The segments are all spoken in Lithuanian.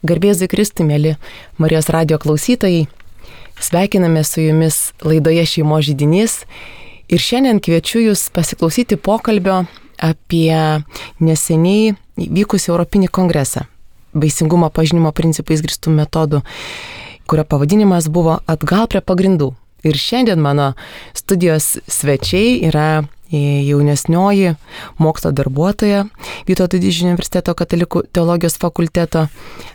Garbėzui Kristui, mėly Marijos radijo klausytojai, sveikiname su jumis laidoje Šeimos židinys ir šiandien kviečiu jūs pasiklausyti pokalbio apie neseniai vykusį Europinį kongresą vaisingumo pažinimo principais grįstų metodų, kurio pavadinimas buvo Atgal prie pagrindų. Ir šiandien mano studijos svečiai yra jaunesnioji mokslo darbuotoja Vytauto Didžiojo universiteto katalikų teologijos fakulteto,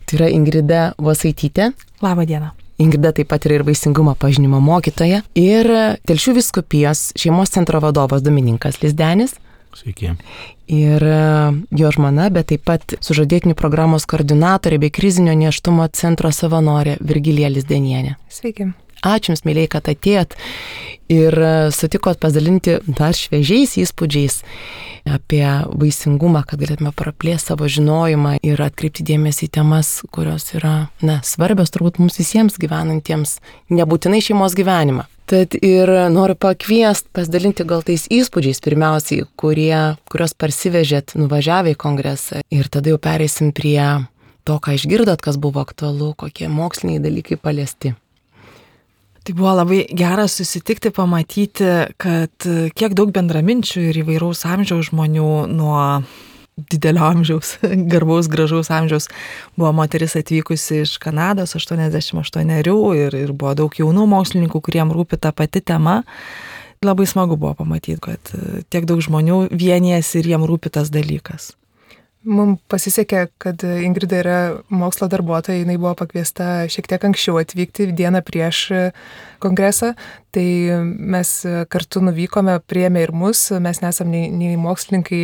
tai yra Ingrida Vosaitytė. Labą dieną. Ingrida taip pat yra ir vaisingumo pažinimo mokytoja. Ir Telšių vyskupijos šeimos centro vadovas Domininkas Lizdenis. Sveiki. Ir jo žmona, bet taip pat sužadėtinių programos koordinatorė bei krizinio nėštumo centro savanorė Virgilija Lizdenienė. Sveiki. Ačiū Jums, mėlyje, kad atėjot ir sutikot pasidalinti dar šviežiais įspūdžiais apie vaisingumą, kad galėtume praplėsti savo žinojimą ir atkreipti dėmesį į temas, kurios yra svarbios turbūt mums visiems gyvenantiems, nebūtinai šeimos gyvenimą. Tad ir noriu pakviesti pasidalinti gal tais įspūdžiais pirmiausiai, kurios parsivežėt nuvažiavę į kongresą, ir tada jau pereisim prie to, ką išgirdot, kas buvo aktualu, kokie moksliniai dalykai paliesti. Tai buvo labai gera susitikti, pamatyti, kad kiek daug bendraminčių ir įvairaus amžiaus žmonių, nuo didelio amžiaus, garbaus, gražaus amžiaus, buvo moteris atvykusi iš Kanados, 88 ir buvo daug jaunų mokslininkų, kuriem rūpi ta pati tema. Labai smagu buvo pamatyti, kad tiek daug žmonių vienijasi ir jiem rūpi tas dalykas. Mums pasisekė, kad Ingrida yra mokslo darbuotoja, jinai buvo pakviesta šiek tiek anksčiau atvykti dieną prieš kongresą, tai mes kartu nuvykome, priėmė ir mus, mes nesam nei mokslininkai,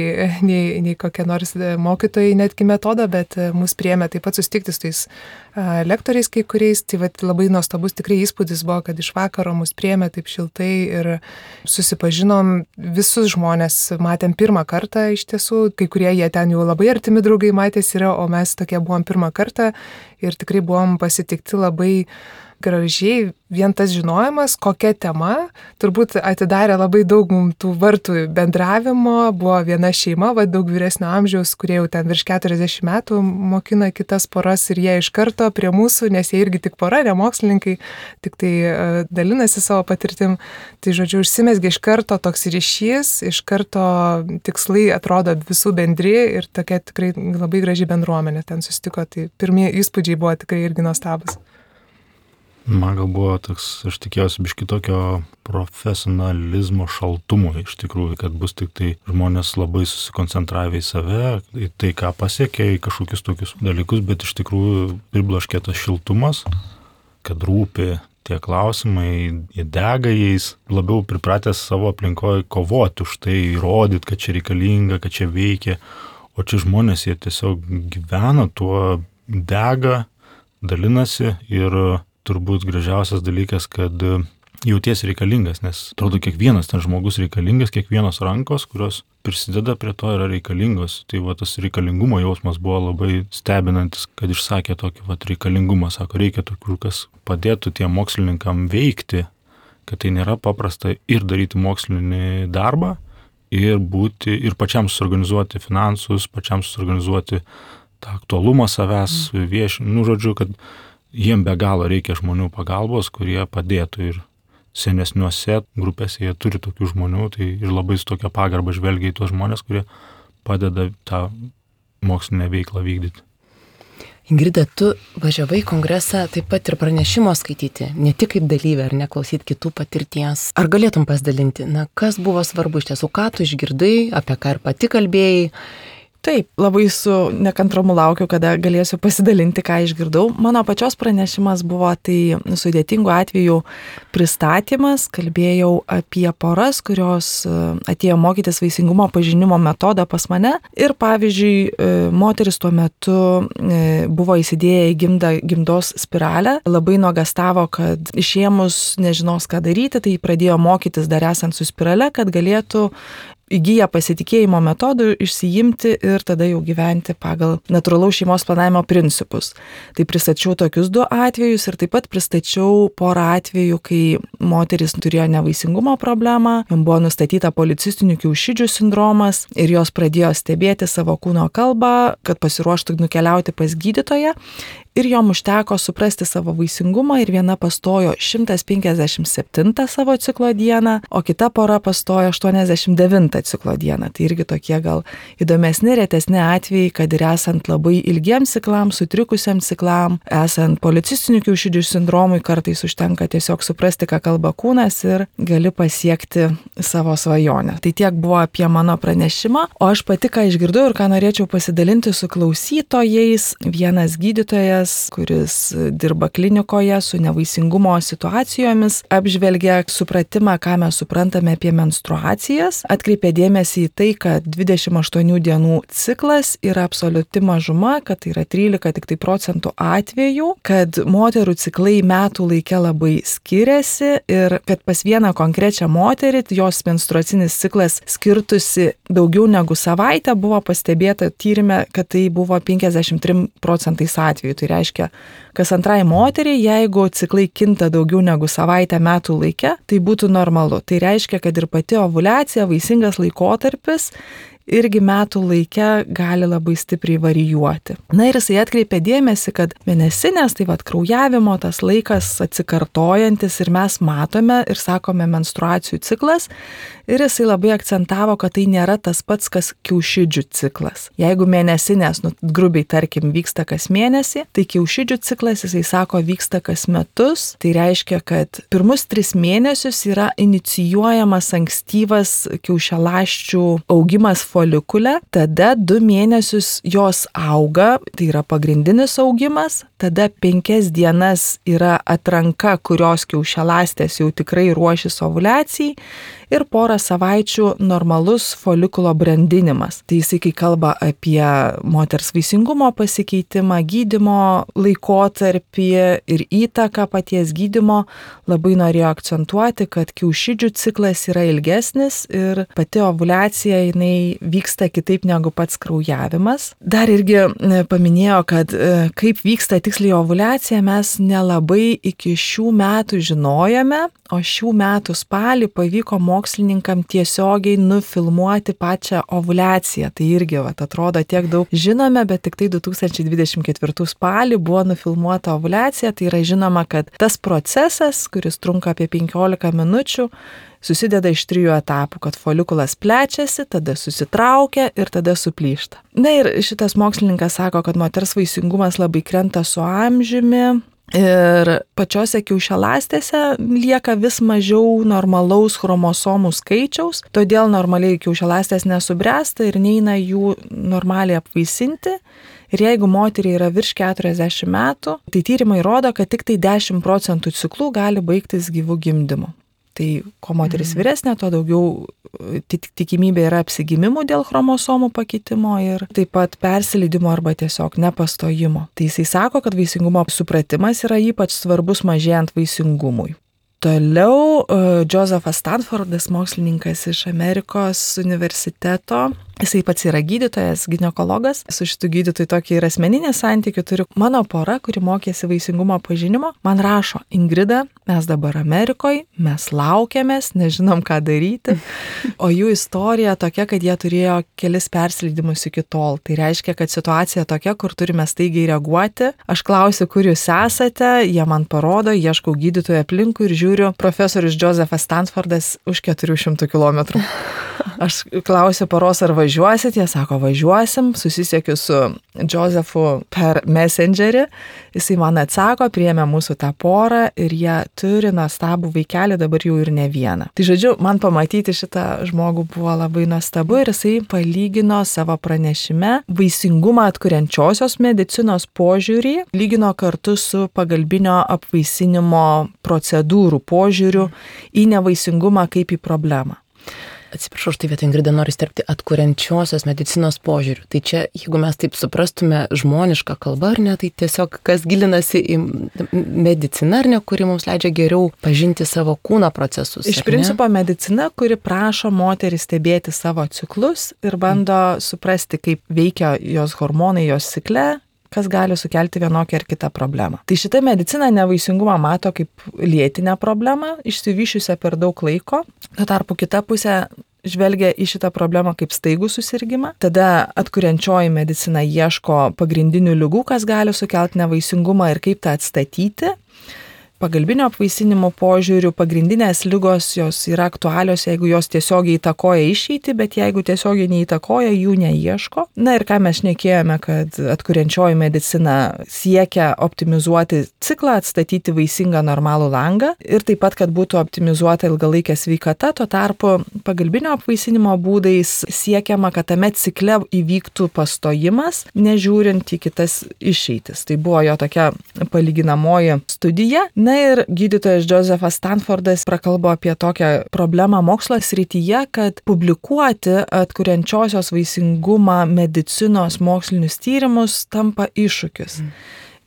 nei kokie nors mokytojai netgi metodo, bet mus priėmė taip pat susitikti su tais lektoriais kai kuriais, tai labai nuostabus tikrai įspūdis buvo, kad iš vakaro mus priėmė taip šiltai ir susipažinom, visus žmonės matėm pirmą kartą iš tiesų, kai kurie jie ten jau labai artimi draugai matėsi yra, o mes tokie buvom pirmą kartą ir tikrai buvom pasitikti labai gražiai. Vien tas žinojimas, kokia tema, turbūt atidarė labai daug mums tų vartų bendravimo. Buvo viena šeima, daug vyresnio amžiaus, kurie jau ten virš 40 metų mokina kitas poras ir jie iš karto prie mūsų, nes jie irgi tik pora, ne mokslininkai, tik tai dalinasi savo patirtim. Tai žodžiu, užsimezgė iš karto toks ryšys, iš karto tikslai atrodo visų bendri ir tokia tikrai labai graži bendruomenė ten susitiko. Tai pirmieji įspūdžiai buvo tikrai irgi nuostabus. Man gal buvo toks, aš tikėjausi biškį tokio profesionalizmo šaltumo iš tikrųjų, kad bus tik tai žmonės labai susikoncentravę į save, į tai, ką pasiekė, į kažkokius tokius dalykus, bet iš tikrųjų pribloškė tas šiltumas, kad rūpi tie klausimai, jie dega jais, labiau pripratęs savo aplinkoje kovoti už tai, įrodyti, kad čia reikalinga, kad čia veikia, o čia žmonės jie tiesiog gyvena tuo, dega, dalinasi ir turbūt gražiausias dalykas, kad jautiesi reikalingas, nes atrodo kiekvienas ten žmogus reikalingas, kiekvienos rankos, kurios prisideda prie to, yra reikalingos. Tai tas reikalingumo jausmas buvo labai stebinantis, kad išsakė tokį reikalingumą, sako, reikia tokių, kas padėtų tiem mokslininkam veikti, kad tai nėra paprasta ir daryti mokslinį darbą, ir pačiam suorganizuoti finansus, pačiam suorganizuoti tą aktualumą savęs, žodžiu, kad jiem be galo reikia žmonių pagalbos, kurie padėtų ir senesniuose grupėse jie turi tokių žmonių, tai ir labai su tokia pagarba žvelgia į tuos žmonės, kurie padeda tą mokslinę veiklą vykdyti. Ingrida, tu važiavai į kongresą taip pat ir pranešimo skaityti, ne tik kaip dalyvė ar neklausyti kitų patirties. Ar galėtum pasidalinti, kas buvo svarbu iš tiesų, ką tu išgirdai, apie ką ir pati kalbėjai? Taip, labai su nekantrumu laukiu, kada galėsiu pasidalinti, ką išgirdau. Mano pačios pranešimas buvo tai sudėtingų atvejų pristatymas. Kalbėjau apie poras, kurios atėjo mokytis vaisingumo pažinimo metodą pas mane. Ir pavyzdžiui, moteris tuo metu buvo įsidėję į gimdos spiralę. Labai nuogastavo, kad išėmus nežinos, ką daryti, tai pradėjo mokytis dar esant su spirale, kad galėtų įgyja pasitikėjimo metodų išsiimti ir tada jau gyventi pagal natūralaus šeimos planavimo principus. Tai pristačiau tokius 2 atvejus ir taip pat pristačiau porą atvejų, kai moteris turėjo nevaisingumo problemą, jom buvo nustatyta policistinių kiaušidžių sindromas ir jos pradėjo stebėti savo kūno kalbą, kad pasiruoštų nukeliauti pas gydytoją. ir jom užteko suprasti savo vaisingumą ir viena pastojo 157 savo ciklo dieną, o kita pora pastojo 89 ciklo dieną. Tai irgi tokie gal įdomesni, retesni atvejai, kad ir esant labai ilgiems ciklams, sutrikusiems ciklam, esant policistinių kiaušidžių sindromui, kartais užtenka tiesiog suprasti, ką kalba kūnas ir gali pasiekti savo svajonę. Tai tiek buvo apie mano pranešimą, o aš pati ką išgirdau ir ką norėčiau pasidalinti su klausytojais. Vienas gydytojas, kuris dirba klinikoje su nevaisingumo situacijomis, apžvelgia supratimą, ką mes suprantame apie menstruacijas, atkreipė dėmesį į tai, kad 28 dienų ciklas yra absoliuti mažuma, kad tai yra 13 tik tai procentų atvejų, kad moterų ciklai metų laike labai skiriasi ir kad pas vieną konkrečią moterį jos menstruacinis ciklas skirtusi daugiau negu savaitę, buvo pastebėta tyrime, kad tai buvo 53 procentais atvejų. Tai reiškia, kas antrai moteriai, jeigu ciklai kinta daugiau negu savaitę metų laike, tai būtų normalu. Tai reiškia, kad ir pati ovuliacija, vaisingas laikotarpis, irgi metų laike gali labai stipriai varijuoti. Na ir jisai atkreipė dėmesį, kad mėnesinės, tai kraujavimo tas laikas atsikartojantis ir mes matome ir sakome menstruacijų ciklas, ir jisai labai akcentavo, kad tai nėra tas pats, kas kiaušidžių ciklas. Jeigu mėnesinės, grubiai tarkim, vyksta kas mėnesį, tai kiaušidžių ciklas, jisai sako, vyksta kas metus. Tai reiškia, kad pirmus 3 mėnesius yra inicijuojamas ankstyvas kiaušialąsčių augimas folikule, tada 2 mėnesius jos auga, tai yra pagrindinis augimas, tada 5 dienas yra atranka, kurios kiaušialąstės jau tikrai ruošis ovuliacijai ir porą savaičių normalus folikulo brandinimas. Tai jisai, kai kalba apie moters vaisingumo pasikeitimą, gydymo laikotarpį ir įtaką paties gydymo, labai norėjo akcentuoti, kad kiaušidžių ciklas yra ilgesnis ir pati ovuliacija jinai vyksta kitaip negu pats kraujavimas. Dar irgi paminėjo, kad kaip vyksta tiksliai ovuliacija, mes nelabai iki šių metų žinojame, o šių metų spalį pavyko mokslininkam tiesiogiai nufilmuoti pačią ovuliaciją. Tai irgi atrodo tiek daug žinome, bet tik tai 2024 spalį buvo nufilmuota ovuliacija. Tai yra žinoma, kad tas procesas, kuris trunka apie 15 minučių, susideda iš 3 etapų, kad folikulas plečiasi, tada susitraukia ir tada suplyšta. Na ir šitas mokslininkas sako, kad moters vaisingumas labai krenta su amžiumi ir pačiose kiaušialąstėse lieka vis mažiau normalaus chromosomų skaičiaus, todėl normaliai kiaušialąstės nesubręsta ir neina jų normaliai apvaisinti. Ir jeigu moteriai yra virš 40 metų, tai tyrimai rodo, kad tik tai 10% ciklų gali baigtis gyvų gimdymu. Tai ko moteris vyresnė, to daugiau tikimybė yra apsigimimų dėl chromosomų pakeitimo ir taip pat persileidimo arba tiesiog nepastojimo. Tai jisai sako, kad vaisingumo supratimas yra ypač svarbus mažėjant vaisingumui. Toliau Josephas Stanfordas, mokslininkas iš Amerikos universiteto, jisai pats yra gydytojas, ginekologas. Su šitu gydytoju tokį ir asmeninį santykį turiu. Mano pora, kuri mokėsi vaisingumo pažinimo, man rašo: Ingrida, mes dabar Amerikoje, mes laukiamės, nežinom ką daryti. O jų istorija tokia, kad jie turėjo kelis persileidimus iki tol. Tai reiškia, kad situacija tokia, kur turime staigiai reaguoti. Aš klausiu, kur jūs esate, jie man parodo, ieškau gydytojo aplinkui ir žiūriu, profesorius Josephas Stanfordas už 400 km. Aš klausiu poros, ar važiuosit, jie sako, važiuosim, susisiekiu su Josephu per Messengerį, jisai man atsako, priėmė mūsų tą porą ir jie turi nuostabų vaikelį, dabar jau ir ne vieną. Tai žodžiu, man pamatyti šitą žmogų buvo labai nuostabu ir jisai palygino savo pranešime vaisingumą atkuriančiosios medicinos požiūrį, lygino kartu su pagalbinio apvaisinimo procedūrų požiūriu į nevaisingumą kaip į problemą. Atsiprašau, štai vietoj Ingrida noriu sterpti atkuriančiosios medicinos požiūrių. Tai čia, jeigu mes taip suprastume žmonišką kalbą, ar ne, tai tiesiog kas gilinasi į mediciną, ar ne, kuri mums leidžia geriau pažinti savo kūno procesus. Iš principo medicina, kuri prašo moterį stebėti savo ciklus ir bando suprasti, kaip veikia jos hormonai jos cikle, kas gali sukelti vienokią ar kitą problemą. Tai šita medicina nevaisingumą mato kaip lėtinę problemą, išsivyšiusią per daug laiko. Tuo tarpu kita pusė žvelgia į šitą problemą kaip staigų susirgymą. Tada atkuriančioji medicina ieško pagrindinių ligų, kas gali sukelti nevaisingumą ir kaip tą atstatyti. Pagalbinio apvaisinimo požiūrių pagrindinės ligos jos yra aktualios, jeigu jos tiesiogiai įtakoja išeitį, bet jeigu tiesiogiai neįtakoja, jų neieško. Na ir ką mes šnekėjome, kad atkuriančioji medicina siekia optimizuoti ciklą, atstatyti vaisingą normalų langą ir taip pat, kad būtų optimizuota ilgalaikė sveikata, tuo tarpu pagalbinio apvaisinimo būdais siekiama, kad tame cikle įvyktų pastojimas, nežiūrint į kitas išeitis. Tai buvo jo tokia palyginamoji studija. Na ir gydytojas Josephat Stanfordas prakalbo apie tokią problemą mokslo srityje, kad publikuoti atkuriančiosios vaisingumą medicinos mokslinius tyrimus tampa iššūkis.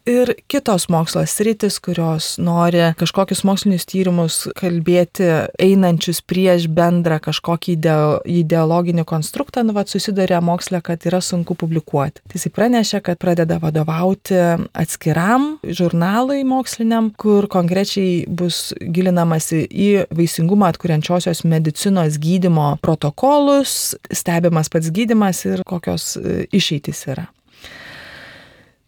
Ir kitos mokslo sritis, kurios nori kažkokius mokslinius tyrimus kalbėti einančius prieš bendrą kažkokį ideologinį konstruktą, susiduria moksle, kad yra sunku publikuoti. Tai jis pranešė, kad pradeda vadovauti atskiram žurnalui moksliniam, kur konkrečiai bus gilinamasi į vaisingumą atkuriančiosios medicinos gydymo protokolus, stebimas pats gydymas ir kokios išeitys yra.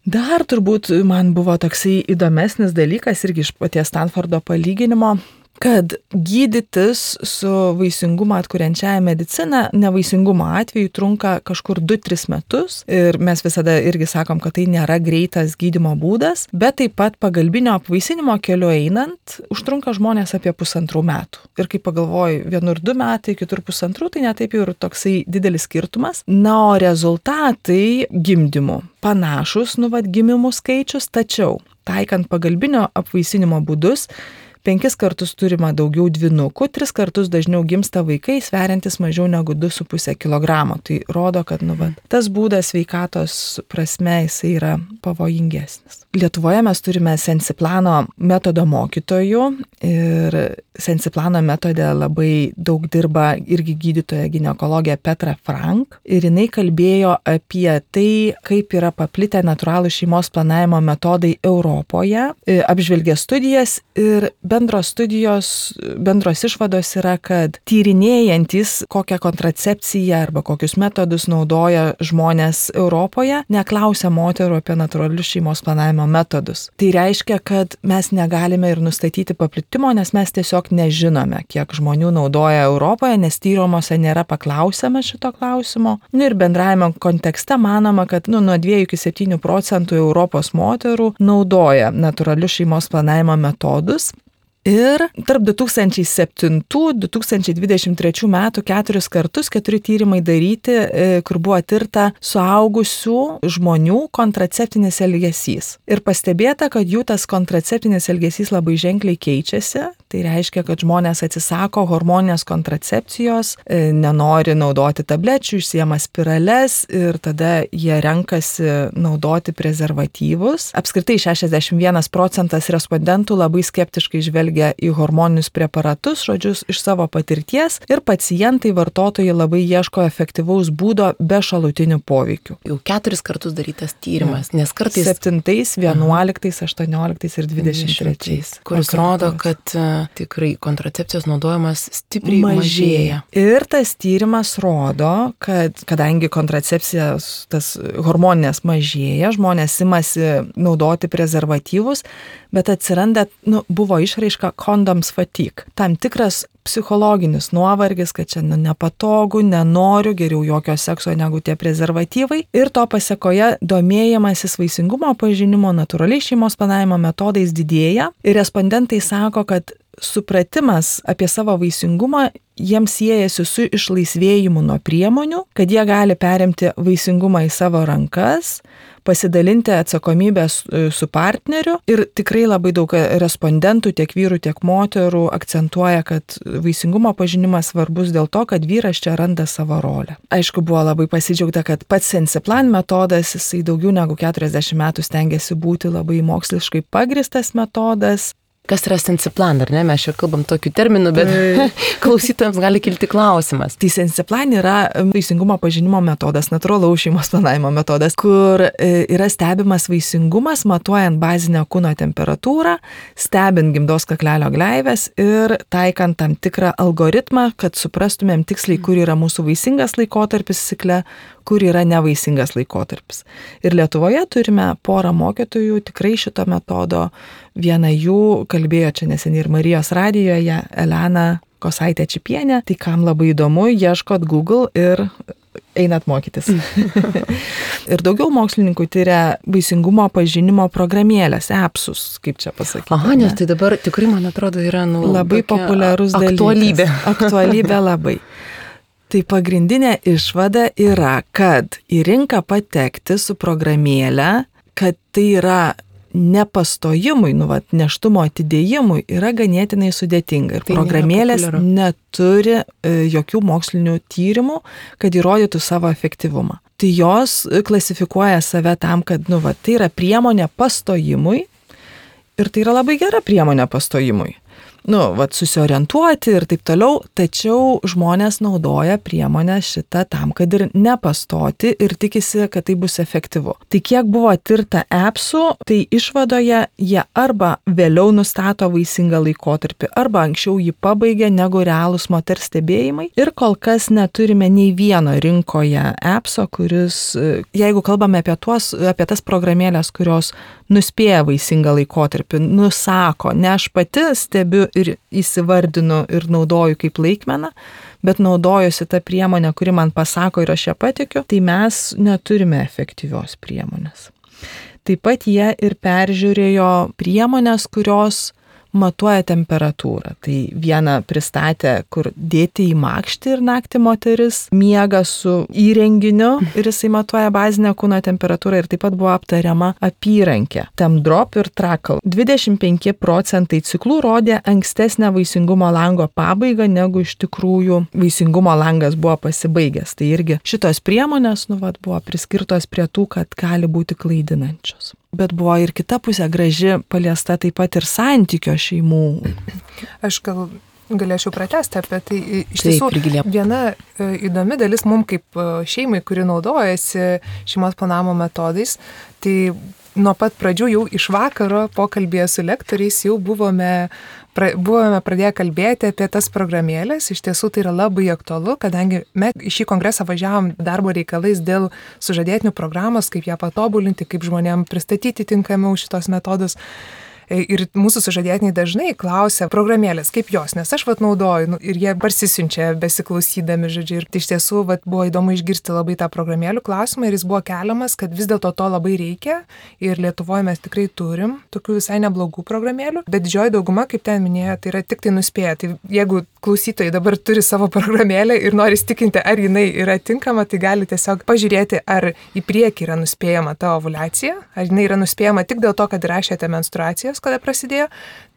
Dar turbūt man buvo toksai įdomesnis dalykas irgi iš paties Stanfordo palyginimo, kad gydytis su vaisingumą atkuriančiaja medicina nevaisingumo atveju trunka kažkur 2-3 metus ir mes visada irgi sakom, kad tai nėra greitas gydymo būdas, bet taip pat pagalbinio apvaisinimo keliu einant užtrunka žmonės apie 1,5 metų. Ir kai pagalvoju, vienur 2 metai, kitur 1,5, tai netaip jau ir toksai didelis skirtumas. Na, o rezultatai gimdymų panašus, gimimų skaičius, tačiau taikant pagalbinio apvaisinimo būdus 5 kartus turima daugiau dvynukų, 3 kartus dažniau gimsta vaikai, sveriantis mažiau negu 2,5 kg. Tai rodo, kad tas būdas sveikatos prasme jisai yra pavojingesnis. Lietuvoje mes turime Sensiplano metodo mokytojų ir Sensiplano metode labai daug dirba irgi gydytoja ginekologė Petra Frank ir jinai kalbėjo apie tai, kaip yra paplitę natūralų šeimos planavimo metodai Europoje, apžvelgė studijas ir bendros išvados yra, kad tyrinėjantis kokią kontracepciją arba kokius metodus naudoja žmonės Europoje, neklausia moterų apie natūralius šeimos planavimo metodus. Tai reiškia, kad mes negalime ir nustatyti paplitimo, nes mes tiesiog nežinome, kiek žmonių naudoja Europoje, nes tyrimuose nėra paklausiama šito klausimo. Ir bendrajame kontekste manoma, kad nuo 2 iki 7% Europos moterų naudoja natūralius šeimos planavimo metodus. Ir tarp 2007-2023 metų 4 kartus 4 tyrimai daryti, kur buvo tirta suaugusių žmonių kontraceptinis elgesys. Ir pastebėta, kad jų tas kontraceptinis elgesys labai ženkliai keičiasi. Tai reiškia, kad žmonės atsisako hormoninės kontracepcijos, nenori naudoti tablečių, išsiema spirales ir tada jie renkasi naudoti prezervatyvus. Apskritai 61% respondentų labai skeptiškai žvelgia į hormoninius preparatus, žodžius, iš savo patirties ir pacientai, vartotojai labai ieško efektyvaus būdo be šalutinių poveikių. Jau 4 kartus darytas tyrimas, nes kartais 7, 11, 18 ir 23. Kuris rodo, kad tikrai kontracepcijos naudojimas stipriai mažėja. Ir tas tyrimas rodo, kad kadangi kontracepcijos tas hormoninės mažėja, žmonės imasi naudoti prezervatyvus, bet atsiranda, buvo išraiška condoms fatigue. Tam tikras psichologinis nuovargis, kad čia nepatogu, nenoriu, geriau jokio sekso negu tie prezervatyvai. Ir to pasekoje domėjimasis vaisingumo pažinimo natūraliai šeimos planavimo metodais didėja. Ir respondentai sako, kad supratimas apie savo vaisingumą jiems siejasi su išlaisvėjimu nuo priemonių, kad jie gali perimti vaisingumą į savo rankas, pasidalinti atsakomybę su partneriu ir tikrai labai daug respondentų, tiek vyrų, tiek moterų akcentuoja, kad vaisingumo pažinimas svarbus dėl to, kad vyras čia randa savo rolę. Aišku, buvo labai pasidžiaugta, kad pats Sensiplan metodas, jisai daugiau negu 40 metų stengiasi būti labai moksliškai pagristas metodas. Kas yra Sensiplan, ar ne? Mes čia kalbam tokių terminų, bet klausytojams gali kilti klausimas. Tai Sensiplan yra vaisingumo pažinimo metodas, natūralaus šeimos planavimo metodas, kur yra stebimas vaisingumas, matuojant bazinę kūno temperatūrą, stebint gimdos kaklelio gleives ir taikant tam tikrą algoritmą, kad suprastumėm tiksliai, kur yra mūsų vaisingas laikotarpis cikle, kur yra nevaisingas laikotarpis. Ir Lietuvoje turime porą mokytojų tikrai šito metodo. Viena jų kalbėjo čia neseniai ir Marijos radijoje, Elena Kosaitė Čipienė. Tai kam labai įdomu, ieškot Google ir einat mokytis. Ir daugiau mokslininkų tyria vaisingumo pažinimo programėlės, appsus, kaip čia pasakyti. Aha, nes tai dabar tikrai, man atrodo, yra labai populiarus aktualybė. Dalykas. Aktualybė labai. Tai pagrindinė išvada yra, kad į rinką patekti su programėlė, kad tai yra nepastojimui, neštumo atidėjimui, yra ganėtinai sudėtinga. Ir tai programėlės neturi jokių mokslinių tyrimų, kad įrodytų savo efektyvumą. Tai jos klasifikuoja save tam, kad tai yra priemonė pastojimui ir tai yra labai gera priemonė pastojimui. Susiorientuoti ir taip toliau, tačiau žmonės naudoja priemonę šitą tam, kad ir nepastoti ir tikisi, kad tai bus efektyvu. Tai kiek buvo tirta appsų, tai išvadoje jie arba vėliau nustato vaisingą laikotarpį, arba anksčiau jį pabaigia negu realūs moters stebėjimai. Ir kol kas neturime nei vieno rinkoje appso, kuris, jeigu kalbame apie tas programėlės, kurios nuspėja vaisingą laikotarpį, nusako, ne aš pati stebiu ir įsivardinu ir naudoju kaip laikmeną, bet naudojusi tą priemonę, kuri man pasako ir aš ją patikiu, tai mes neturime efektyvios priemonės. Taip pat jie ir peržiūrėjo priemonės, kurios matuoja temperatūrą. Tai vieną pristatė, kur dėti į makštį ir naktį moteris miega su įrenginiu ir jisai matuoja bazinę kūno temperatūrą ir taip pat buvo aptariama apyrankė. Temdrop ir Trackle. 25% ciklų rodė ankstesnę vaisingumo lango pabaigą, negu iš tikrųjų vaisingumo langas buvo pasibaigęs. Tai irgi šitos priemonės buvo priskirtos prie tų, kad gali būti klaidinančios. Bet buvo ir kita pusė graži, paliesta taip pat ir santykio šeimų. Aš galėčiau pratęsti apie tai. Iš tiesų, viena įdomi dalis mums kaip šeimai, kuri naudojasi šeimos planavimo metodais, tai nuo pat pradžių jau iš vakaro pokalbėje su lektoriais jau buvome pradėję kalbėti apie tas programėlės. Iš tiesų tai yra labai aktualu, kadangi mes į šį kongresą važiavom darbo reikalais dėl sužadėtinių programos, kaip ją patobulinti, kaip žmonėm pristatyti tinkamiau šitos metodus. Ir mūsų sužadėtiniai dažnai klausia programėlės, kaip jos, nes aš naudoju ir jie parsisiunčia besiklausydami, žodžiu. Ir iš tiesų buvo įdomu išgirsti labai tą programėlių klausimą ir jis buvo keliamas, kad vis dėlto to labai reikia ir Lietuvoje mes tikrai turim tokių visai neblogų programėlių, bet didžioji dauguma, kaip ten minėjo, tai yra tik tai nuspėję. Tai jeigu klausytojai dabar turi savo programėlę ir nori įsitikinti, ar jinai yra tinkama, tai gali tiesiog pažiūrėti, ar į priekį yra nuspėjama ta ovuliacija, ar jinai yra nuspėjama tik dėl to, kad įrašėte menstruacijas, kada prasidėjo,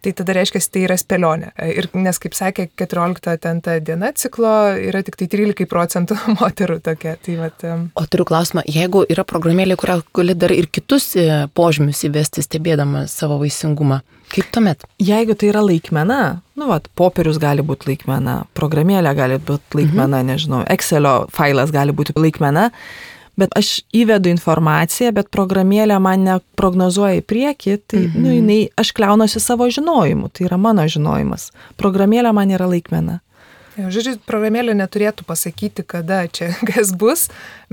tai tada reiškia, tai yra spėlionė. Ir nes, kaip sakė, 14 diena ciklo yra tik tai 13% moterų tokia. O turiu klausimą, jeigu yra programėlė, kurią gali dar ir kitus požymius įvesti, stebėdama savo vaisingumą, kaip tuomet? Jeigu tai yra laikmena, popierius gali būti laikmena, programėlė gali būti laikmena, nežinau, Excelio failas gali būti laikmena, bet aš įvedu informaciją, bet programėlė man neprognozuoja į priekį, tai aš kliaunuosi savo žinojimu, tai yra mano žinojimas. Programėlė man yra laikmena. Žodžiu, programėlė neturėtų pasakyti, kada čia kas bus,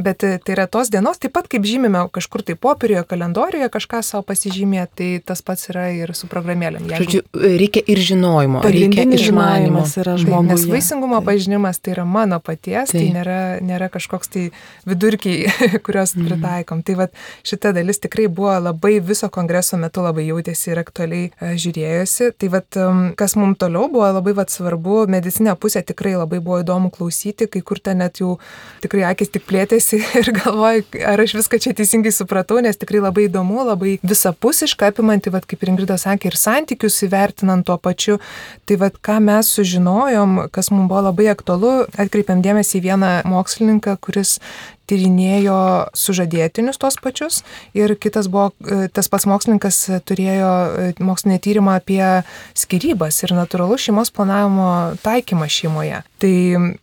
bet tai yra tos dienos, taip pat kaip žymime kažkur tai popieriuje, kalendoriuje kažką savo pasižymėti, tai tas pats yra ir su programėlėm. Žodžiu, reikia ir žinojimo, reikia ir išmanimo. Nes vaisingumo pažinimas tai yra mano paties, tai nėra kažkoks tai vidurkiai, kurios pritaikom. Tai šita dalis tikrai buvo labai viso kongreso metu labai jautėsi ir aktualiai žiūrėjosi. Tai kas mums toliau buvo labai svarbu, medicinė pusė tikrai labai buvo įdomu klausyti, kai kur ten net jau tikrai akis tik plėtėsi ir galvoju, ar aš viską čia teisingai supratau, nes tikrai labai įdomu, labai visapusiškai apimanti, kaip Ingrida sakė, ir santykius įvertinant tuo pačiu. Tai ką mes sužinojom, kas mums buvo labai aktualu, atkreipiam dėmesį į vieną mokslininką, kuris tyrinėjo sužadėtinius tos pačius ir kitas buvo, tas pats mokslininkas turėjo mokslinį tyrimą apie skyrybas ir natūralų šeimos planavimo taikymą šeimoje. Tai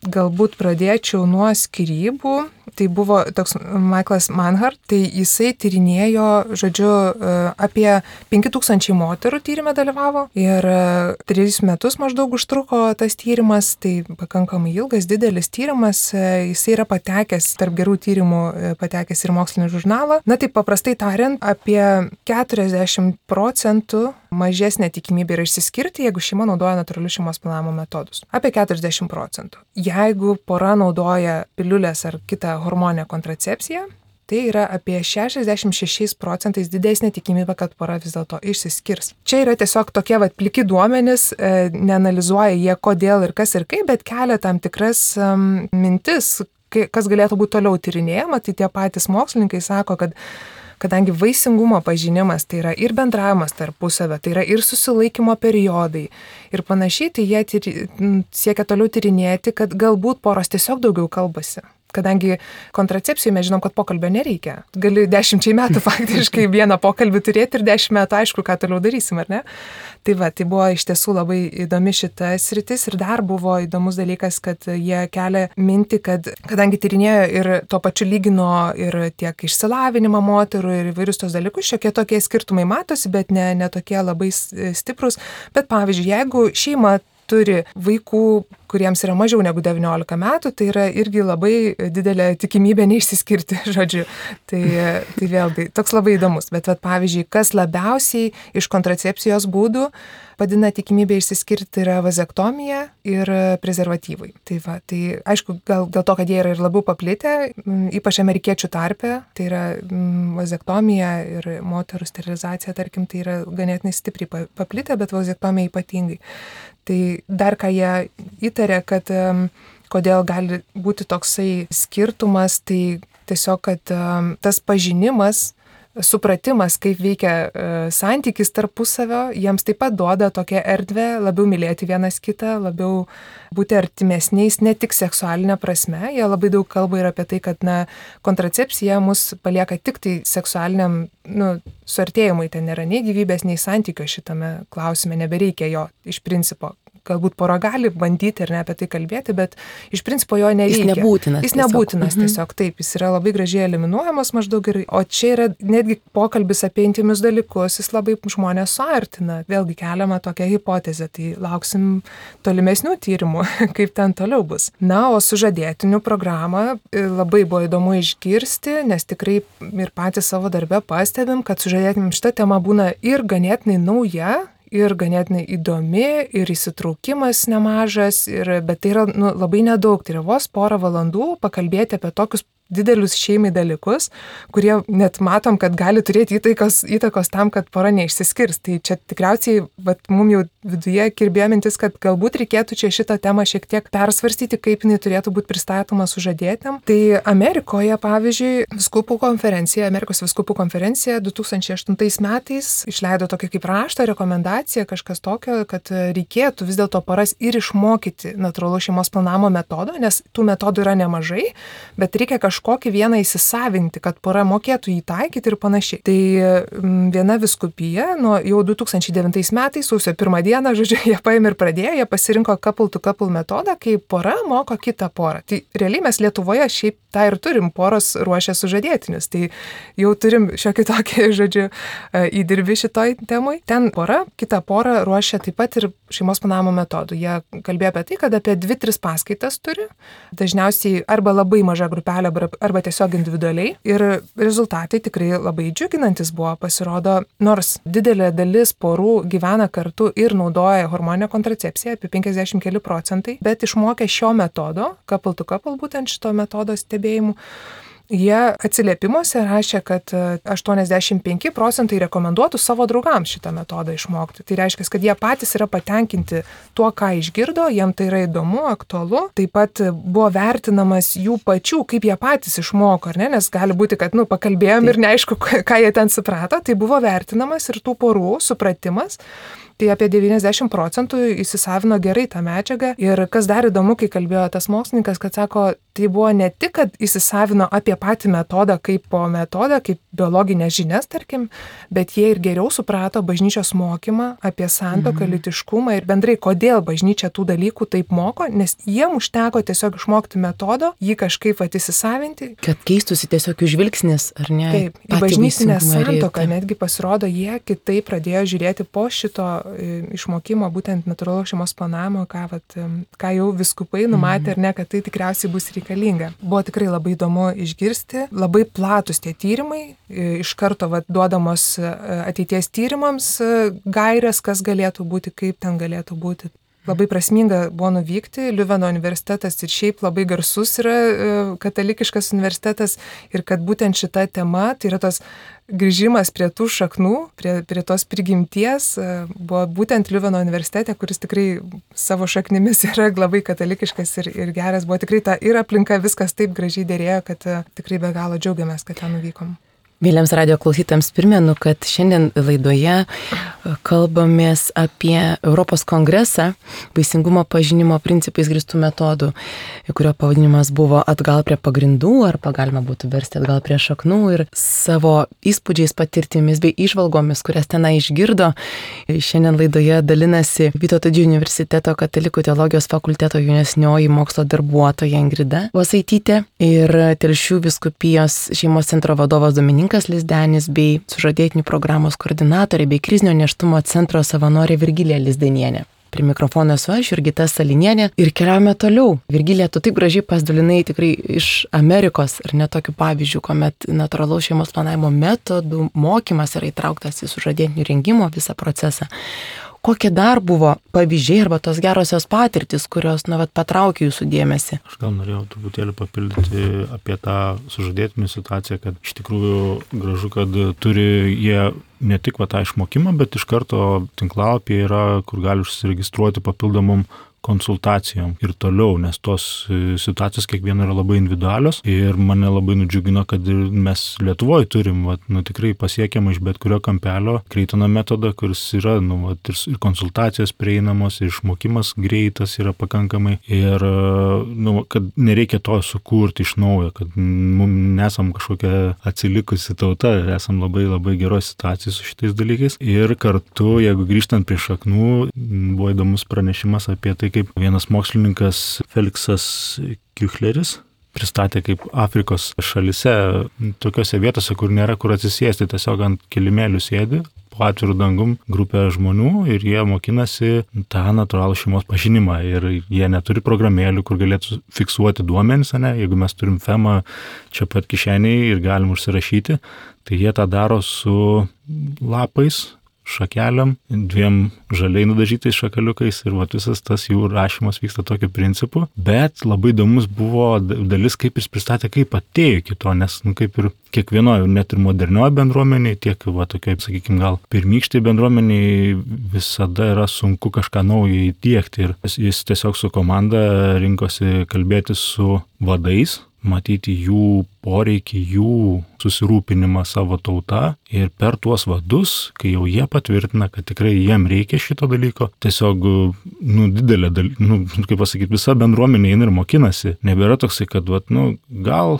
galbūt pradėčiau nuo skyrybų. Tai buvo toks Michaelas Manhart, tai jisai tyrinėjo, žodžiu, apie 5000 moterų tyrime dalyvavo ir 3 metus maždaug užtruko tas tyrimas, tai pakankamai ilgas, didelis tyrimas, jisai yra patekęs, tarp gerų tyrimų patekęs ir mokslinį žurnalą. Na taip paprastai tariant, apie 40% mažesnė tikimybė yra išsiskirti, jeigu šeima naudoja natūralius šeimos planavimo metodus. Apie 40%. Jeigu pora naudoja piliulės ar kitą hormoninę kontracepciją, tai yra apie 66% didesnė tikimybė, kad pora vis dėlto išsiskirs. Čia yra tiesiog tokie pliki duomenys, neanalizuoja jie kodėl ir kas ir kaip, bet kelia tam tikras mintis, kas galėtų būti toliau tyrinėjama. Tai tie patys mokslininkai sako, kad kadangi vaisingumo pažinimas tai yra ir bendravimas tarpusavio, tai yra ir susilaikymo periodai ir panašiai, tai jie siekia toliau tyrinėti, kad galbūt poros tiesiog daugiau kalbasi. Kadangi kontracepcijai mes žinom, kad pokalbio nereikia. Gali 10 metų faktiškai vieną pokalbį turėti ir 10 metų aišku, ką toliau darysim, ar ne? Tai buvo iš tiesų labai įdomi šita sritis ir dar buvo įdomus dalykas, kad jie kelia mintį, kad kadangi tyrinėjo ir tuo pačiu lygino ir tiek išsilavinimą moterų ir įvairius tos dalykus, šiokie tokie skirtumai matosi, bet ne tokie labai stiprus. Bet pavyzdžiui, jeigu šeima turi vaikų, kuriems yra mažiau negu 19 metų, tai yra irgi labai didelė tikimybė neišsiskirti, žodžiu. Tai vėlgi toks labai įdomus. Bet pavyzdžiui, kas labiausiai iš kontracepcijos būdų padina tikimybę išsiskirti yra vazektomija ir prezervatyvai. Tai aišku, gal dėl to, kad jie yra ir labiau paplitę, ypač amerikiečių tarpe, tai yra vazektomija ir moterų sterilizacija, tarkim, tai yra ganėtinai stipriai paplitę, bet vazektomija ypatingai. Tai dar ką jie įtarė, kad kodėl gali būti toksai skirtumas, tai tiesiog, kad tas pažinimas, supratimas, kaip veikia santykis tarpusavio, jiems taip pat duoda tokią erdvę labiau mylėti vienas kitą, labiau būti artimesniais, ne tik seksualinė prasme. Jie labai daug kalba ir apie tai, kad kontracepcija mus palieka tik tai seksualiniam suartėjimui, ten nėra nei gyvybės, nei santykio šitame klausime, nebereikia jo iš principo. Galbūt pora gali bandyti ir ne apie tai kalbėti, bet iš principo jo nereikia. Jis nebūtinas tiesiog. Taip, jis yra labai gražiai eliminuojamas maždaug. O čia yra netgi pokalbis apie intymius dalykus, jis labai žmonės suartina. Vėlgi keliama tokia hipotezė, tai lauksim tolimesnių tyrimų, kaip ten toliau bus. Na, o sužadėtinių programą labai buvo įdomu išgirsti, nes tikrai ir patys savo darbe pastebim, kad sužadėtiniam šita tema būna ir ganėtinai nauja, ir ganėtinai įdomi, ir įsitraukimas nemažas, bet tai yra labai nedaug, tai yra vos porą valandų pakalbėti apie tokius didelius šeimai dalykus, kurie net matom, kad gali turėti įtakos tam, kad pora neišsiskirs. Tai čia tikriausiai, mums jau viduje kirbėjo mintis, kad galbūt reikėtų čia šitą temą šiek tiek persvarstyti, kaip jinai turėtų būti pristatoma sužadėtiniam. Tai Amerikoje, pavyzdžiui, Amerikos vyskupų konferencija 2008 metais išleido tokį kaip raštą, rekomendaciją, kažkas tokio, kad reikėtų vis dėlto poras ir išmokyti natūralaus šeimos planavimo metodo, nes tų metodų yra nemažai, bet reikia kažkokį vieną įsisavinti, kad pora mokėtų jį taikyti ir panašiai. Tai viena vyskupija jau 2009 metais, sausio 1 dieną, žodžiu, jie paėmė ir pradėjo, jie pasirinko couple-to-couple metodą, kai pora moko kitą porą. Tai realiai mes Lietuvoje šiaip tą ir turim, poros ruošia sužadėtinius. Tai jau turim šiokį tokį, žodžiu, įdirbį šitoj temui. Ten pora, kitą porą ruošia taip pat ir šeimos planavimo metodų. Jie kalbėjo apie tai, kad apie 2-3 paskaitas turi. Dažniausiai arba labai maža grupelė, arba tiesiog individualiai. Ir rezultatai tikrai labai džiuginantis buvo. Pasirodo, nors didelė dalis porų gyvena kartu ir naudoja hormoninę kontracepciją, apie 50 keli procentai, bet išmokę šio metodo, couple to couple, būtent šito metodo stebėjimų, jie atsiliepimuose rašė, kad 85 procentai rekomenduotų savo draugams šitą metodą išmokti. Tai reiškia, kad jie patys yra patenkinti tuo, ką išgirdo, jiem tai yra įdomu, aktualu. Taip pat buvo vertinamas jų pačių, kaip jie patys išmoko, ar ne? Nes gali būti, kad pakalbėjom ir neaišku, ką jie ten suprato. Tai buvo vertinamas ir tų porų supratimas. tai apie 90% įsisavino gerai tą medžiagą. Ir kas dar įdomu, kai kalbėjo tas mokslininkas, kad sako, tai buvo ne tik, kad įsisavino apie patį metodą kaip po metodą, kaip biologinės žinias, tarkim, bet jie ir geriau suprato bažnyčios mokymą apie santuoką, lytiškumą ir bendrai, kodėl bažnyčia tų dalykų taip moko, nes jiem užteko tiesiog išmokti metodo, jį kažkaip įsisavinti. Kad keistųsi tiesiog jų žvilgsnis, ar ne? Taip, į bažnytinę santuoką netgi pasirodo, jie kitaip pradėjo žiūrėti po šito išmokymo, būtent natūralaus šeimos planavimo, ką jau vyskupai numatė, ar ne, kad tai tikriausiai bus reikalinga. Buvo tikrai labai įdomu išgirsti, labai platus tie tyrimai, iš karto duodamos ateities tyrimams gairės, kas galėtų būti, kaip ten galėtų būti. Labai prasminga buvo nuvykti, Liuveno universitetas ir šiaip labai garsus yra katalikiškas universitetas ir kad būtent šita tema, tai yra tas grįžimas prie tų šaknų, prie tos prigimties, buvo būtent Liuveno universitete, kuris tikrai savo šaknimis yra labai katalikiškas ir geras, buvo tikrai ta ir aplinka viskas taip gražiai dėrėjo, kad tikrai be galo džiaugiamės, kad ten nuvykom. Mėlyms radio klausytams primenu, kad šiandien laidoje kalbamės apie Europos kongresą vaisingumo pažinimo principais grįstų metodų, kurio pavadinimas buvo atgal prie pagrindų, arba galima būtų versti atgal prie šaknų, ir savo įspūdžiais, patirtimis bei įžvalgomis, kurias tenai išgirdo. Šiandien laidoje dalinasi Vytauto Didžiojo universiteto katalikų teologijos fakulteto jaunesnioji mokslo darbuotoja Ingrida Vosaitytė ir Telšių vyskupijos šeimos centro vadovas Dominikas Lizdenis bei sužadėtinių programos koordinatorė bei krizinio nėštumo centro savanorė Virgilija Lizdenienė. Prie mikrofono esu aš, Jurgita Salinienė, ir keliaujame toliau. Virgilija, tu taip gražiai pasidalinai tikrai iš Amerikos, ar ne tokių pavyzdžių, kuomet natūralaus šeimos planavimo metodų mokymas yra įtrauktas į sužadėtinių rengimo visą procesą. Kokie dar buvo pavyzdžiai arba tos gerosios patirtis, kurios patraukė jūsų dėmesį? Aš gal norėjau truputėlį papildyti apie tą sužadėtinių situaciją, kad iš tikrųjų gražu, kad turi jie ne tik tą išmokimą, bet iš karto tinklalapyje yra, kur gali užsiregistruoti papildomom konsultacijom ir toliau, nes tos situacijos kiekviena yra labai individualios ir mane labai nudžiugino, kad mes Lietuvoje turim tikrai pasiekiamą iš bet kurio kampelio Kreitono metodą, kuris yra ir konsultacijos prieinamos, ir išmokimas greitas yra pakankamai ir kad nereikia to sukurti iš naujo, kad nesam kažkokia atsilikusi tauta, esam labai labai geros situacijos su šitais dalykais ir kartu, jeigu grįžtant prie šaknų, buvo įdomus pranešimas apie tai, kaip vienas mokslininkas Feliksas Kiuchleris pristatė, kaip Afrikos šalise, tokiose vietose, kur nėra kur atsisėsti, tiesiog ant kilimėlių sėdi, po atvirų dangum grupė žmonių ir jie mokinasi tą natūralų šeimos pažinimą ir jie neturi programėlių, kur galėtų fiksuoti duomenis, jeigu mes turim FEMA čia pat kišeniai ir galim užsirašyti, tai jie tą daro su lapais, šakeliam, 2 žaliai nudažytais šakaliukais ir visas tas jų rašymas vyksta tokiu principu, bet labai įdomus buvo dalis, kaip jis pristatė, kaip atėjo iki to, nes kaip ir kiekvienoje, net ir modernioje bendruomenėje, tiek tokiai, sakykime, gal pirmykštai bendruomeniai visada yra sunku kažką naujo įdiegti ir jis tiesiog su komanda rinkosi kalbėti su vadais, matyti jų poreikį, jų susirūpinimą savo tauta ir per tuos vadus, kai jau jie patvirtina, kad tikrai jiem reikia šito dalyko, tiesiog, didelė kaip pasakyti, visa bendruomenė eina ir mokinasi. Nebėra toksai, kad, gal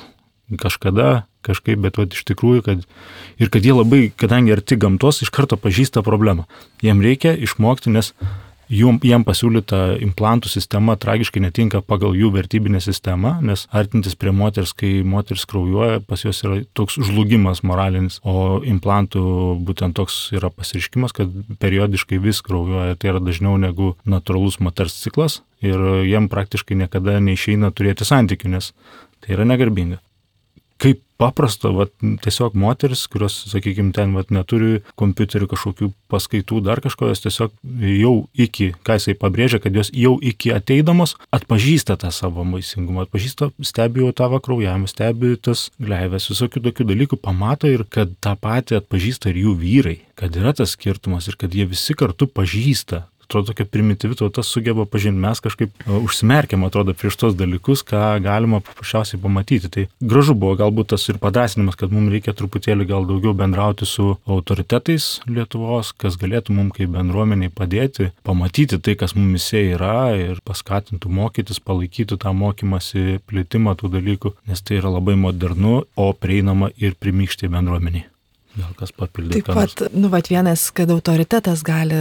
kažkada kažkaip, bet iš tikrųjų, kad jie labai, kadangi arti gamtos, iš karto pažįsta problemą. Jiem reikia išmokti, nes jiem pasiūlyta implantų sistema tragiškai netinka pagal jų vertybinę sistemą, nes artintis prie moters, kai moteris kraujuoja, pas jos yra toks žlugimas moralinis, o implantų būtent toks yra pasireiškimas, kad periodiškai vis kraujuoja, tai yra dažniau negu natūralus moters ciklas ir jiem praktiškai niekada neišeina turėti santykių, nes tai yra negarbinga. Kaip paprasta, tiesiog moteris, kurios, sakykime, ten neturi kompiuterių kažkokių paskaitų, dar kažko, jos tiesiog jau iki, ką jisai pabrėžia, kad jos jau iki ateidamos atpažįsta tą savo vaisingumą, stebi jau tavo kraujavimą, stebi tas gleivės, visokių tokių dalykų pamato ir kad tą patį atpažįsta ir jų vyrai, kad yra tas skirtumas ir kad jie visi kartu pažįsta atrodo, tokia primityvi tauta sugeba pažinti, mes kažkaip užsimerkiam, atrodo, prieš tos dalykus, ką galima paprasčiausiai pamatyti. Tai gražu buvo galbūt tas ir padrąsinimas, kad mums reikia truputėlį gal daugiau bendrauti su autoritetais Lietuvos, kas galėtų mums kaip bendruomeniai padėti, pamatyti tai, kas mumise yra ir paskatintų mokytis, palaikytų tą mokymąsi, plitimą tų dalykų, nes tai yra labai modernu, o prieinama ir primykštė bendruomeniai. Gal kas papildė. Taip pat, vienas, kad autoritetas gali,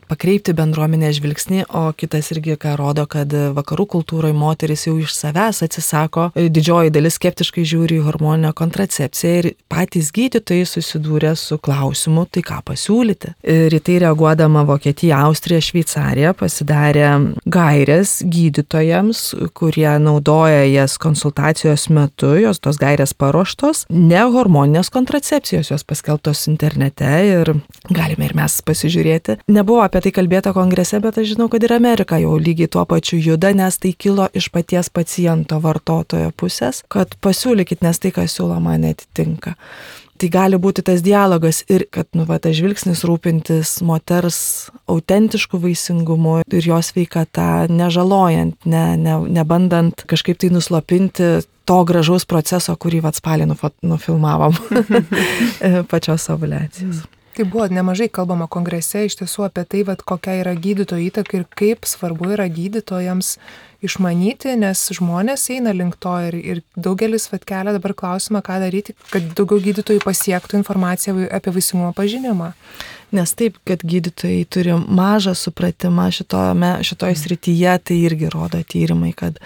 pakreipti bendruomenę žvilgsnį, o kitas irgi, ką rodo, kad vakarų kultūroje moteris jau iš savęs atsisako, didžioji dalis skeptiškai žiūri į hormoninę kontracepciją ir patys gydytojai susidūrė su klausimu, tai ką pasiūlyti. Ir į tai reaguodama Vokietija, Austrija, Šveicarija pasidarė gairės gydytojams, kurie naudoja jas konsultacijos metu, jos tos gairės paruoštos, ne hormoninės kontracepcijos, jos paskelbtos internete ir galime ir mes pasižiūrėti. Nebuvo apie tai kalbėta kongrese, bet aš žinau, kad ir Amerika jau lygiai tuo pačiu juda, nes tai kilo iš paties paciento vartotojo pusės, kad pasiūlykit, nes tai, kas siūloma, netitinka. Tai gali būti tas dialogas ir kad, tas žvilgsnis rūpintis moters autentiškų vaisingumu ir jos sveikata, nežalojant, nebandant kažkaip tai nuslopinti to gražaus proceso, kurį spalį nufilmavom pačios ovulacijos. Tai buvo nemažai kalbama kongrese iš tiesų apie tai, kokia yra gydytojo įtaka ir kaip svarbu yra gydytojams išmanyti, nes žmonės eina link to ir daugelis kelia dabar klausimą, ką daryti, kad daugiau gydytojų pasiektų informaciją apie vaisingumo pažinimą. Nes taip, kad gydytojai turi mažą supratimą šitoj srityje, tai irgi rodo tyrimai, kad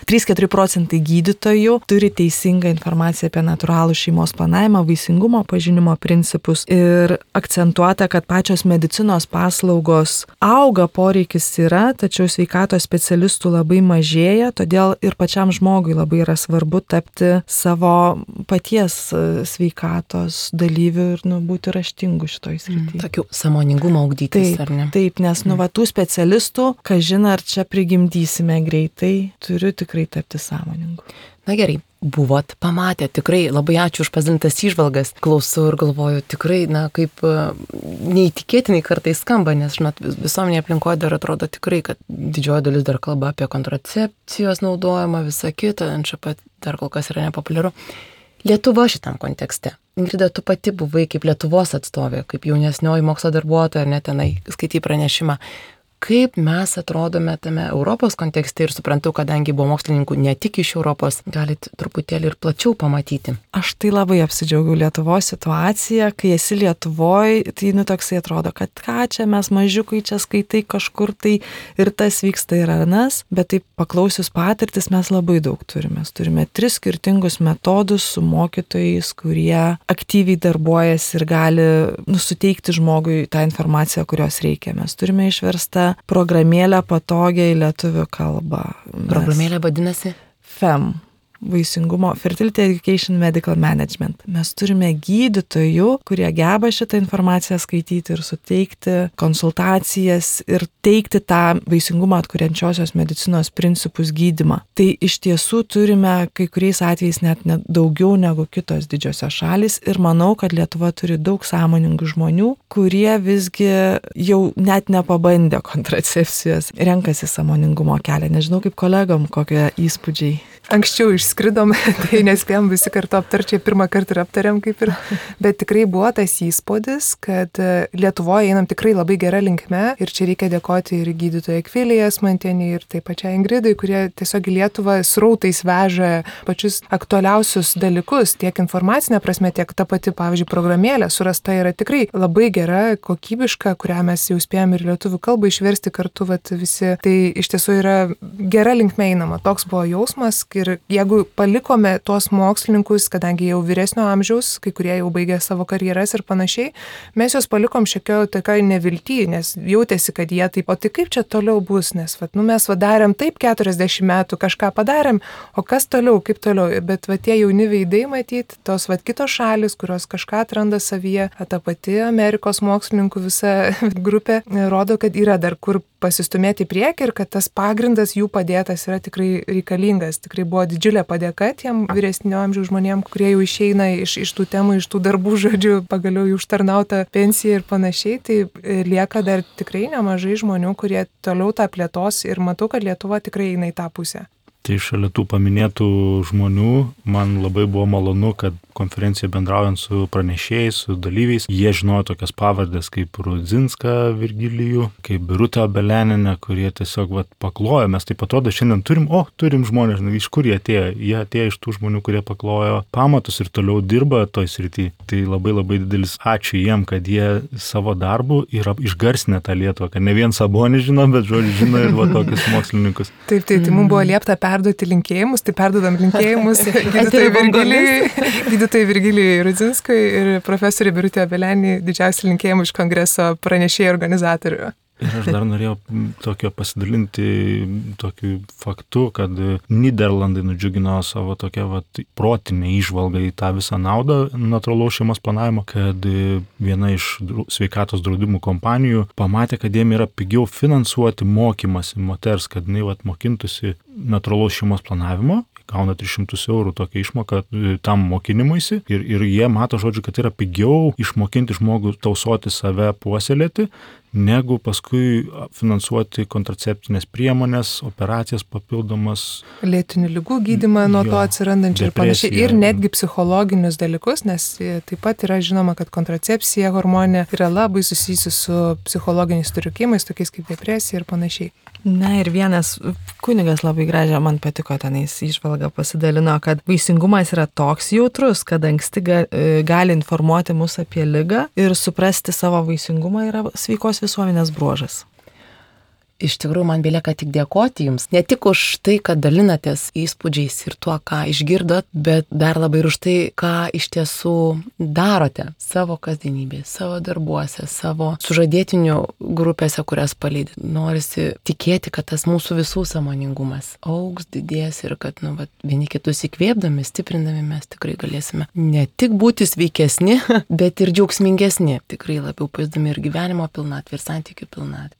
3-4% gydytojų turi teisingą informaciją apie natūralų šeimos planavimą, vaisingumo pažinimo principus ir akcentuota, kad pačios medicinos paslaugos auga, poreikis yra, tačiau sveikatos specialistų labai mažėja, todėl ir pačiam žmogui labai yra svarbu tapti savo paties sveikatos dalyviu ir būti raštingu šitoj srityje. Tokių sąmoningumo ugdytis, ar ne? Taip, nes tų specialistų, kažin ar čia prigimdysime greitai, turiu tikrai tapti sąmoningu. Na gerai, buvot, pamatę, tikrai labai ačiū už pasidalintas įžvalgas. Klausau ir galvoju, tikrai, kaip neįtikėtinai kartais skamba, nes, visuomenėje aplinkoje dar atrodo tikrai, kad didžioji dalis dar kalba apie kontracepcijos naudojimą, visą kitą, NŠP dar kol kas yra nepopuliaru. Lietuva šitam kontekste. Ingrida, tu pati buvai kaip Lietuvos atstovė, kaip jaunesnioji mokslo darbuotoja, ar net tenai skaitai pranešimą. Kaip mes atrodome tame Europos kontekste ir suprantu, kadangi buvo mokslininkų ne tik iš Europos, galit truputėlį ir plačiau pamatyti. Aš tai labai apsidžiaugiau Lietuvos situaciją, kai esi Lietuvoj, tai toksai atrodo, kad ką čia mes mažiukai čia skaitai kažkur tai ir tas vyksta ir anas, bet taip paklausius patirtis mes labai daug turime. Mes turime 3 skirtingus metodus su mokytojais, kurie aktyviai darbuojasi ir gali suteikti žmogui tą informaciją, kurios reikia. Mes turime išverstą programėlę patogiai lietuvių kalbą. Programėlė vadinasi? FEM. Vaisingumo, Fertility Education Medical Management. Mes turime gydytojų, kurie geba šitą informaciją skaityti ir suteikti konsultacijas ir teikti tą vaisingumą atkuriančiosios medicinos principus gydymą. Tai iš tiesų turime kai kuriais atvejais net daugiau negu kitos didžiosios šalys ir manau, kad Lietuva turi daug sąmoningų žmonių, kurie visgi jau net nepabandė kontracepcijos, renkasi sąmoningumo kelią. Nežinau, kaip kolegom, kokie įspūdžiai. Anksčiau išskridom, tai nespėjom visi kartu aptarčiai, pirmą kartą ir aptarėm kaip ir, bet tikrai buvo tas įspūdis, kad Lietuvoje einam tikrai labai gerą linkme ir čia reikia dėkoti ir gydytojai Akvilijai Asmantienei ir taip pačiai Ingridai, kurie tiesiog į Lietuvą srautais veža pačius aktualiausius dalykus, tiek informacinė prasme, tiek ta pati, pavyzdžiui, programėlė surasta yra tikrai labai gera, kokybiška, kurią mes jau spėjom ir lietuvių kalbą išversti kartu visi. Tai iš tiesų yra gera linkme einama, toks buvo jausmas. Ir jeigu palikome tuos mokslininkus, kadangi jau vyresnio amžiaus, kai kurie jau baigė savo karjeras ir panašiai, mes juos palikom šiekio tokioj nevilty, nes jautėsi, kad jie taip, o tai kaip čia toliau bus, nes mes darėm taip 40 metų, kažką padarėm, o kas toliau, kaip toliau, bet tie jauni veidai matyti, tos kitos šalis, kurios kažką atranda savyje, ta pati Amerikos mokslininkų visa grupė, rodo, kad yra dar kur pasistumėti į priekį ir kad tas pagrindas jų padėtas yra tikrai reikalingas, tikrai buvo didžiulė padėka tiem vyresnio amžiaus žmonėm, kurie jau išeina iš tų temų, iš tų darbų, žodžiu, pagaliau jų užtarnautą pensiją ir panašiai, tai lieka dar tikrai nemažai žmonių, kurie toliau tą plėtos ir matau, kad Lietuva tikrai eina į tą pusę. Tai šalia tų paminėtų žmonių, man labai buvo malonu, kad konferencija bendraujant su pranešėjais, su dalyviais, jie žinojo tokias pavardės kaip Rudzinską Virgilijų, kaip Birutė Obeleninė, kurie tiesiog paklojo. Mes taip atrodo šiandien turim žmonės, iš kur jie atėjo. Jie atėjo iš tų žmonių, kurie paklojo pamatus ir toliau dirba toj srity. Tai labai labai didelis ačiū jiem, kad jie savo darbu yra išgarsinę tą Lietuvą, kad ne vien Sabonis žino, bet žodžiu žino ir tokius mokslininkus. Taip, tai mums buvo liepta perduoti linkėjimus, tai perdodam linkėjimus gydytojai Virgilijai Rudzinskui ir profesoriai Birutė Obeleninė, didžiausi linkėjimai iš kongreso pranešėjų organizatorių. Ir aš dar norėjau tokio pasidalinti tokiu faktu, kad Nyderlandai nudžiugino savo tokią protinę įžvalgą į tą visą naudą natūralaus šeimos planavimo, kad viena iš sveikatos draudimų kompanijų pamatė, kad jiem yra pigiau finansuoti mokymasi moters, kad jinai mokintųsi natūralaus šeimos planavimo, gauna 300 eurų tokią išmoką tam mokinimuisi ir jie mato, žodžiu, kad yra pigiau išmokinti žmogų tausoti save, puoselėti, negu paskui finansuoti kontraceptinės priemonės, operacijas papildomas. Lėtinių ligų gydymą nuo to atsirandančių ir panašiai. Ir netgi psichologinius dalykus, nes taip pat yra žinoma, kad kontracepcija hormonė yra labai susijusi su psichologiniais sutrikimais, tokiais kaip depresija ir panašiai. Na ir vienas kunigas labai gražią, man patiko tenais įžvalgą pasidalino, kad vaisingumas yra toks jautrus, kad anksti gali informuoti mus apie ligą ir suprasti savo vaisingumą yra sveikos visuomenės bruožas. Iš tikrųjų, man belieka tik dėkoti Jums. Ne tik už tai, kad dalinatės įspūdžiais ir tuo, ką išgirdot, bet dar labai ir už tai, ką iš tiesų darote savo kasdienybėje, savo darbuose, savo sužadėtinių grupėse, kurias palydit. Norisi tikėti, kad tas mūsų visų sąmoningumas augs, didės ir kad vieni kitus įkvėpdami, stiprindami mes tikrai galėsime ne tik būti sveikesni, bet ir džiaugsmingesni. Tikrai labiau pajusdami ir gyvenimo pilnatvę, ir santykių pilnatvę.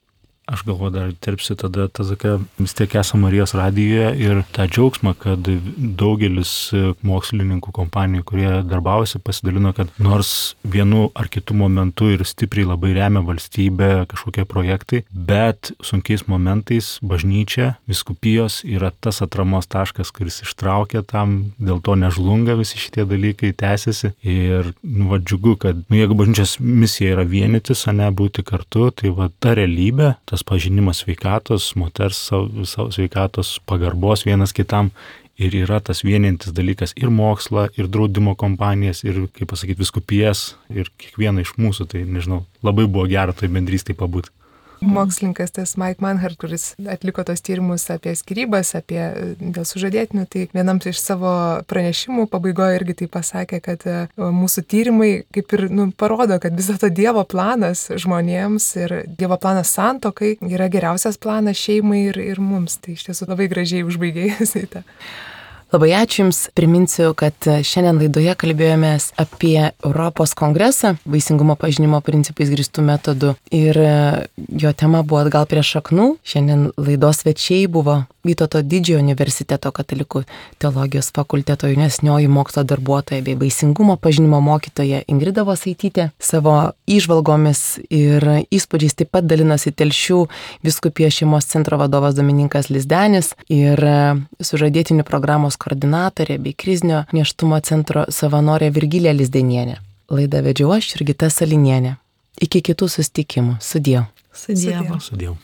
Aš galvoju, dar terpsi tada vis tiek esame Marijos radijoje ir tą džiaugsmą, kad daugelis mokslininkų kompanijų, kurie darbavosi, pasidalino, kad nors vienu ar kitu momentu ir stipriai labai remia valstybę kažkokie projektai, bet sunkiais momentais bažnyčia, vyskupijos yra tas atramos taškas, kuris ištraukia tam, dėl to nežlunga visi šitie dalykai, tęsiasi. Ir džiugu, kad jeigu bažnyčios misija yra vienytis, o ne būti kartu, tai ta realybė, tas pažinimas sveikatos, moters savo sveikatos, pagarbos vienas kitam ir yra tas vienintis dalykas ir mokslą, ir draudimo kompanijas, ir, kaip pasakyti, vyskupijas, ir kiekvieną iš mūsų, tai nežinau, labai buvo gera toj bendrystėje pabūti. Mokslininkas tas Mike Manhart, kuris atliko tos tyrimus apie skyrybas, apie dėl sužadėtinių, tai vienam iš savo pranešimų pabaigoje irgi tai pasakė, kad mūsų tyrimai kaip ir parodo, kad vis dėlto Dievo planas žmonėms ir Dievo planas santuokai yra geriausias planas šeimai ir mums. Tai iš tiesų labai gražiai užbaigėjęs į tą. Labai ačiū Jums. Priminsiu, kad šiandien laidoje kalbėjomės apie Europos kongresą vaisingumo pažinimo principais grįstų metodų ir jo tema buvo atgal prie šaknų. Šiandien laidos svečiai buvo Vytauto Didžiojo universiteto katalikų teologijos fakulteto jaunesnioji mokslo darbuotoja bei vaisingumo pažinimo mokytoja Ingrida Vosaitytė. Savo įžvalgomis ir įspūdžiais taip pat dalinosi Telšių vyskupijos šeimos centro vadovas Domininkas Lizdenis ir sužadėtinių programos koordinatorė bei krizinio nėštumo centro savanorė Virgilija Lizdenienė. Laidą vedžiau aš, Jurgita Salinienė. Iki kitų susitikimų. Sudiev. Sudiev.